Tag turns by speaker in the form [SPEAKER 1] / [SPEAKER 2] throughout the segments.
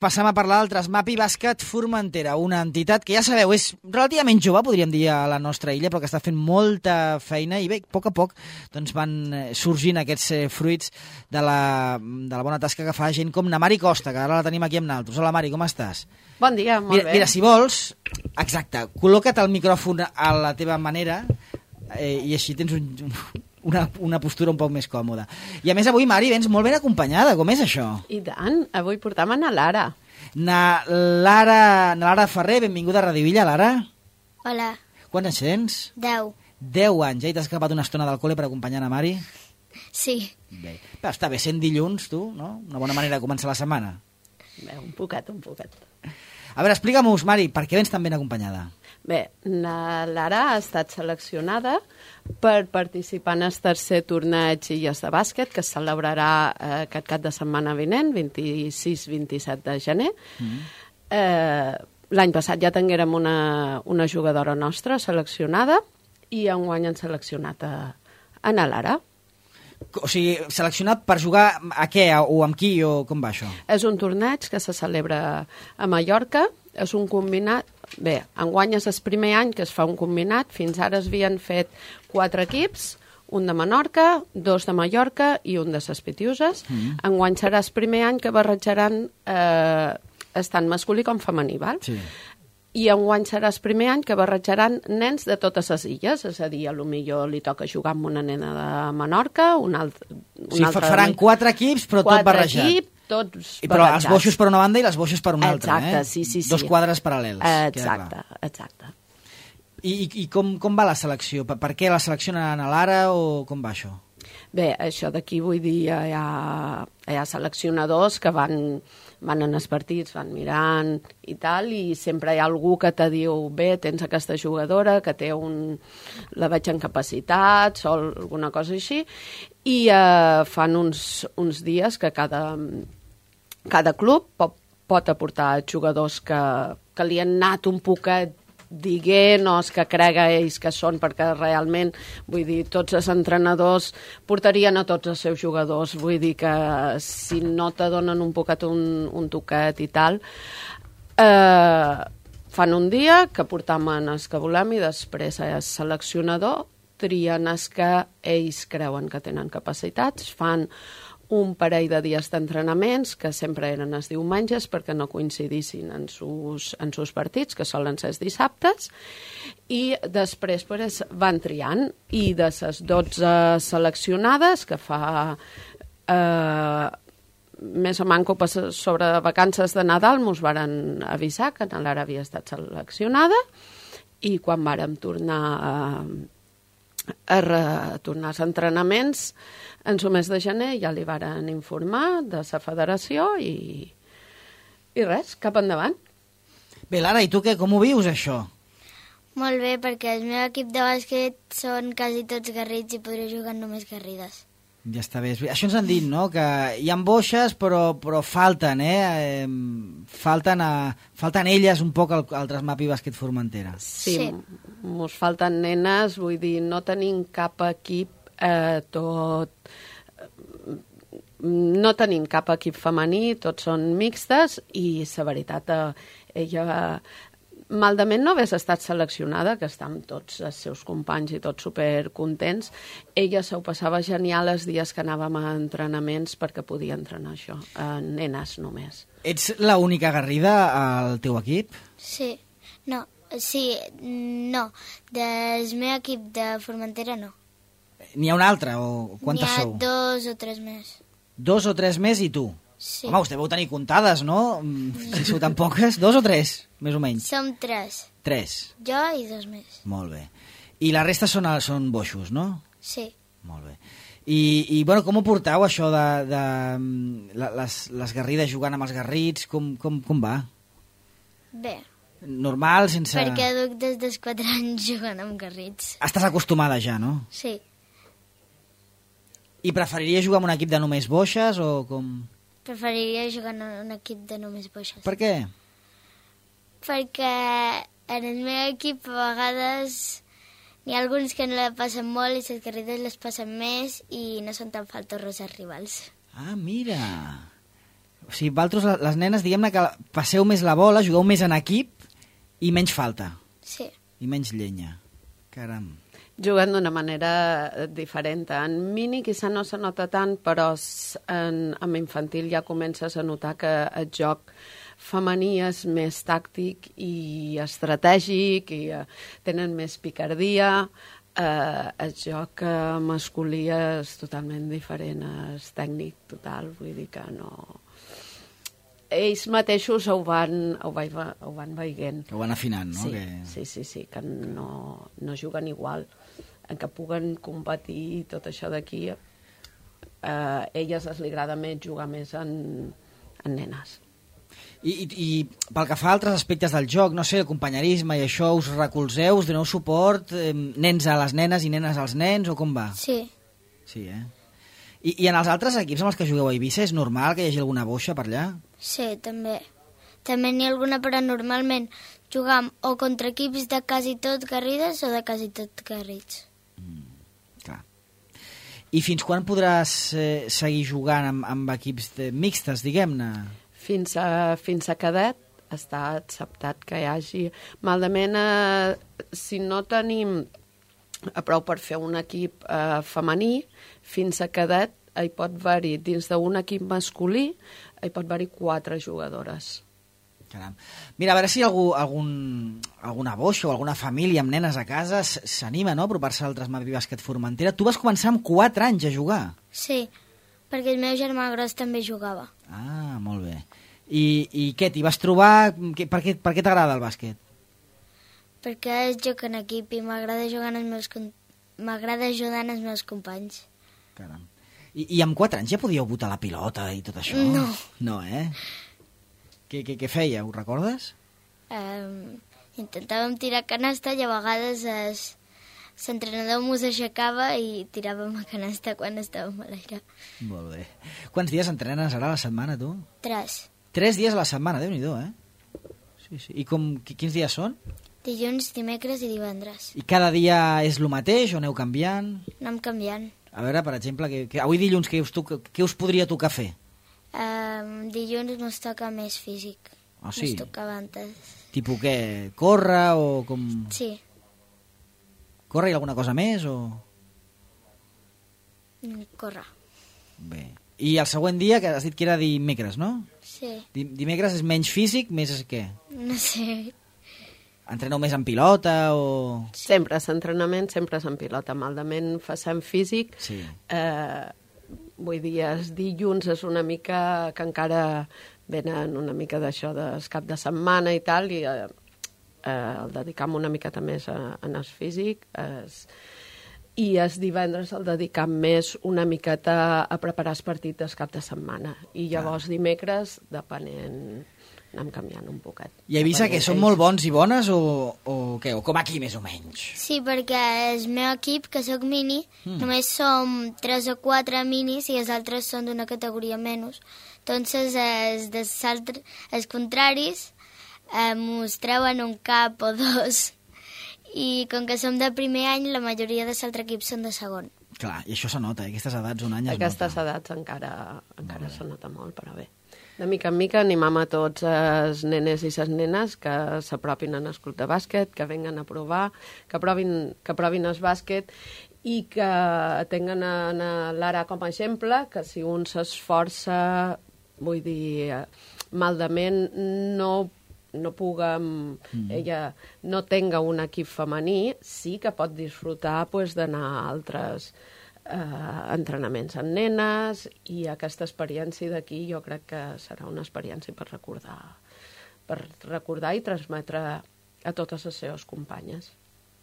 [SPEAKER 1] Passam a parlar del Trasmapi Bàsquet Formentera, una entitat que ja sabeu, és relativament jove, podríem dir, a la nostra illa, però que està fent molta feina i bé, a poc doncs van sorgint aquests fruits de la bona tasca que fa gent com na Mari Costa, que ara la tenim aquí amb naltros. Hola Mari, com estàs?
[SPEAKER 2] Bon dia, molt bé.
[SPEAKER 1] Mira, si vols, exacte, col·loca't el micròfon a la teva manera i així tens una postura un poc més còmoda. I a més avui, Mari, vens molt ben acompanyada. Com és això?
[SPEAKER 2] I tant, avui portam a na Lara.
[SPEAKER 1] Na Lara Ferrer, benvinguda a Radio Illa, Lara.
[SPEAKER 3] Hola.
[SPEAKER 1] Quants anys tens?
[SPEAKER 3] 10.
[SPEAKER 1] 10 anys, ja? I t'has escapat una estona del col·le per acompanyar a Mari?
[SPEAKER 3] Sí.
[SPEAKER 1] Bé. Però està bé, sent dilluns, tu, no? Una bona manera de començar la setmana.
[SPEAKER 2] Bé, un poquet.
[SPEAKER 1] A veure, explica-mos, Mari, per què vens tan ben acompanyada?
[SPEAKER 2] Bé, na Lara ha estat seleccionada per participar en el tercer torneig Illes de Bàsquet, que es celebrarà aquest cap de setmana vinent, 26-27 de gener. L'any passat ja tinguérem una jugadora nostra seleccionada i enguany han seleccionat a na Lara.
[SPEAKER 1] O sigui, seleccionat per jugar a què? O amb qui? O com va això?
[SPEAKER 2] És un torneig que se celebra a Mallorca, és un combinat. Bé, enguany és el primer any que es fa un combinat. Fins ara es havien fet 4 equips, un de Menorca, 2 de Mallorca i un de les Pitiuses. Enguany serà el primer any que barrejaran tant masculí com femení, val? Sí. I enguany serà el primer any que barrejaran nens de totes les illes, és a dir, potser li toca jugar amb una nena de Menorca, una altra...
[SPEAKER 1] Faran 4 equips, però tot barrejat.
[SPEAKER 2] 4 equips, tots barrejats.
[SPEAKER 1] Però els boixos per una banda i les boixes per una altra,
[SPEAKER 2] Exacte, sí.
[SPEAKER 1] 2 quadres paral·lels.
[SPEAKER 2] Exacte.
[SPEAKER 1] I com va la selecció? Per què la seleccionen a Lara o com va això?
[SPEAKER 2] Bé, això d'aquí vull dir, hi ha seleccionadors que van en els partits, van mirant i tal, i sempre hi ha algú que te diu, bé, tens aquesta jugadora que té la veig en capacitats o alguna cosa així, i fan uns dies que cada club pot aportar jugadors que li han anat un poquet dient o els que crega ells que són, perquè realment, vull dir, tots els entrenadors portarien a tots els seus jugadors, vull dir que si no te donen un poquet un toquet i tal, fan un dia que portam els que volem i després el seleccionador trien els que ells creuen que tenen capacitats, fan un parell de dies d'entrenaments, que sempre eren els diumenges perquè no coincidissin en sus partits, que solen ser els dissabtes, i després van triant, i de les 12 seleccionades, que fa més o manco sobre vacances de Nadal, mos varen avisar que na Lara havia estat seleccionada, i quan vàrem tornar a retornar als entrenaments en el mes de gener ja li varen informar de la federació i res, cap endavant.
[SPEAKER 1] Bé, Lara, i tu què? Com ho vius, això?
[SPEAKER 3] Molt bé, perquè el meu equip de bàsquet són quasi tots garrits i podré jugar només garrides.
[SPEAKER 1] Ja està bé. Això ens han dit, no?, que hi ha boixes, però falten, falten elles un poc al Trasmapi Bàsquet Formentera.
[SPEAKER 2] Sí, mos falten nenes, vull dir, no tenim cap equip no tenim cap equip femení, tots són mixtes i la veritat, ella malament no hagués estat seleccionada, que està amb tots els seus companys i tots supercontents, ella s'ho passava genial els dies que anàvem a entrenaments perquè podia entrenar això, nenes només.
[SPEAKER 1] Ets l'única garrida al teu equip?
[SPEAKER 3] Sí, no, del meu equip de Formentera no.
[SPEAKER 1] N'hi ha un altre, o quantes sou?
[SPEAKER 3] N'hi ha 2 o 3 més.
[SPEAKER 1] 2 o 3 més i tu?
[SPEAKER 3] Sí.
[SPEAKER 1] Home, us deveu tenir comptades, no? Si sou tan poques, 2 o 3, més o menys?
[SPEAKER 3] Som 3.
[SPEAKER 1] 3.
[SPEAKER 3] Jo i 2 més.
[SPEAKER 1] Molt bé. I la resta són boixos, no?
[SPEAKER 3] Sí.
[SPEAKER 1] Molt bé. I bueno, com ho portau, això de les garrides jugant amb els garrits? Com va?
[SPEAKER 3] Bé.
[SPEAKER 1] Normal, sense...
[SPEAKER 3] Perquè duc des dels 4 anys jugant amb garrits.
[SPEAKER 1] Estàs acostumada ja, no?
[SPEAKER 3] Sí.
[SPEAKER 1] I preferiries jugar amb un equip de només boixes o com...?
[SPEAKER 3] Preferiria jugar en un equip de només boixes.
[SPEAKER 1] Per què?
[SPEAKER 3] Perquè en el meu equip a vegades n'hi ha alguns que no la passen molt i les garrides les passen més i no són tan faltorros els rivals.
[SPEAKER 1] Ah, mira! O sigui, vosaltres, les nenes, diguem-ne que passeu més la bola, jugueu més en equip i menys falta.
[SPEAKER 3] Sí.
[SPEAKER 1] I menys llenya. Caram.
[SPEAKER 2] Juguen d'una manera diferent. En mini quizà no se nota tant, però en infantil ja comences a notar que el joc femení és més tàctic i estratègic i tenen més picardia. El joc masculí és totalment diferent, és tècnic total, vull dir que no... Ells mateixos ho van veient.
[SPEAKER 1] Que ho van afinant, no?
[SPEAKER 2] Sí, que no juguen igual, en que puguen competir i tot això d'aquí. A elles li agrada més jugar més en nenes.
[SPEAKER 1] I pel que fa a altres aspectes del joc, no sé, el companyerisme i això, us recolzeu, us doneu suport, nens a les nenes i nenes als nens, o com va?
[SPEAKER 3] Sí.
[SPEAKER 1] Sí, I en els altres equips amb els que jugueu a Eivissa és normal que hi hagi alguna boixa per allà?
[SPEAKER 3] Sí, també. També n'hi ha alguna, però normalment jugam o contra equips de quasi tot garrides o de quasi tot garrits.
[SPEAKER 1] Clar. I fins quan podràs seguir jugant amb equips mixtes, diguem-ne?
[SPEAKER 2] Fins a cadet està acceptat que hi hagi. Malament, si no tenim prou per fer un equip femení, fins a cadet hi pot haver-hi, dins d'un equip masculí, hi pot haver-hi 4 jugadores.
[SPEAKER 1] Caram. Mira, a veure si alguna boixa o alguna família amb nenes a casa s'anima, no?, a apropar-se al Mapi Bàsquet Formentera. Tu vas començar amb 4 anys a jugar.
[SPEAKER 3] Sí, perquè el meu germà gros també jugava.
[SPEAKER 1] Ah, molt bé. I què, t'hi vas trobar? Per què t'agrada el bàsquet?
[SPEAKER 3] Perquè joc en equip i m'agrada ajudar els meus companys.
[SPEAKER 1] Caram. I amb 4 anys ja podíeu botar la pilota i tot això?
[SPEAKER 3] No.
[SPEAKER 1] No, Què feia, ho recordes?
[SPEAKER 3] Intentàvem tirar canasta i a vegades l'entrenador mos aixecava i tiràvem a canasta quan estàvem a l'aire.
[SPEAKER 1] Molt bé. Quants dies entrenes ara a la setmana, tu?
[SPEAKER 3] 3.
[SPEAKER 1] 3 dies a la setmana, Déu-n'hi-do, Sí. I quins dies són?
[SPEAKER 3] Dilluns, dimecres i divendres.
[SPEAKER 1] I cada dia és el mateix o aneu canviant?
[SPEAKER 3] Anem canviant.
[SPEAKER 1] A veure, per exemple, avui dilluns què us podria tocar fer?
[SPEAKER 3] Dilluns mos toca més físic.
[SPEAKER 1] Ah, sí?
[SPEAKER 3] Mos tocava antes.
[SPEAKER 1] Tipus què? Córrer o com...
[SPEAKER 3] Sí.
[SPEAKER 1] Córrer i alguna cosa més o...?
[SPEAKER 3] Córrer.
[SPEAKER 1] Bé. I el següent dia, que has dit que era dimecres, no?
[SPEAKER 3] Sí.
[SPEAKER 1] Dimecres és menys físic, més és què?
[SPEAKER 3] No sé.
[SPEAKER 1] Entreneu més en pilota o...?
[SPEAKER 2] Sempre és entrenament, sempre és en pilota. Malament facem físic.
[SPEAKER 1] Sí.
[SPEAKER 2] Vull dir, els dilluns és una mica que encara venen una mica d'això del cap de setmana i tal, i el dedicam una miqueta més en el físic. I els divendres el dedicam més una miqueta a preparar el partit del cap de setmana. I llavors dimecres, depenent... anem canviant un poquet.
[SPEAKER 1] I he vist que són molt bons i bones o què? O com aquí, més o menys?
[SPEAKER 3] Sí, perquè el meu equip, que sóc mini, només som 3 o 4 minis i els altres són d'una categoria menys. Entonces, els contraris mos treuen un cap o 2. I com que som de primer any, la majoria de l'altre equip són de segon.
[SPEAKER 1] Clar, i això se nota, aquestes edats, un any es nota.
[SPEAKER 2] Aquestes edats encara se nota molt, però bé. De mica en mica animam a tots els nenes i les nenes que s'apropin al club de bàsquet, que venguen a provar, que provin el bàsquet i que tinguen l'Ara com a exemple, que si un s'esforça, vull dir, maldament, no puguem, ella no tenga un equip femení, sí que pot disfrutar d'anar a altres entrenaments en nenes, i aquesta experiència d'aquí jo crec que serà una experiència per recordar i transmetre a totes les seves companyes.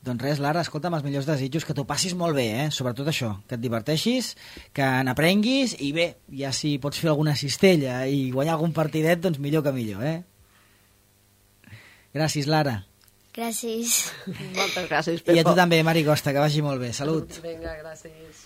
[SPEAKER 1] Doncs res, Lara, escolta'm, els millors desitjos, que t'ho passis molt bé, sobretot això, que et diverteixis, que n'aprenguis, i bé, ja si pots fer alguna cistella i guanyar algun partidet, doncs millor que millor, Gràcies, Lara.
[SPEAKER 3] Gràcies.
[SPEAKER 2] Moltes gràcies, Pepo.
[SPEAKER 1] I a tu també, Mari Costa, que vagi molt bé. Salut.
[SPEAKER 2] Vinga, gràcies.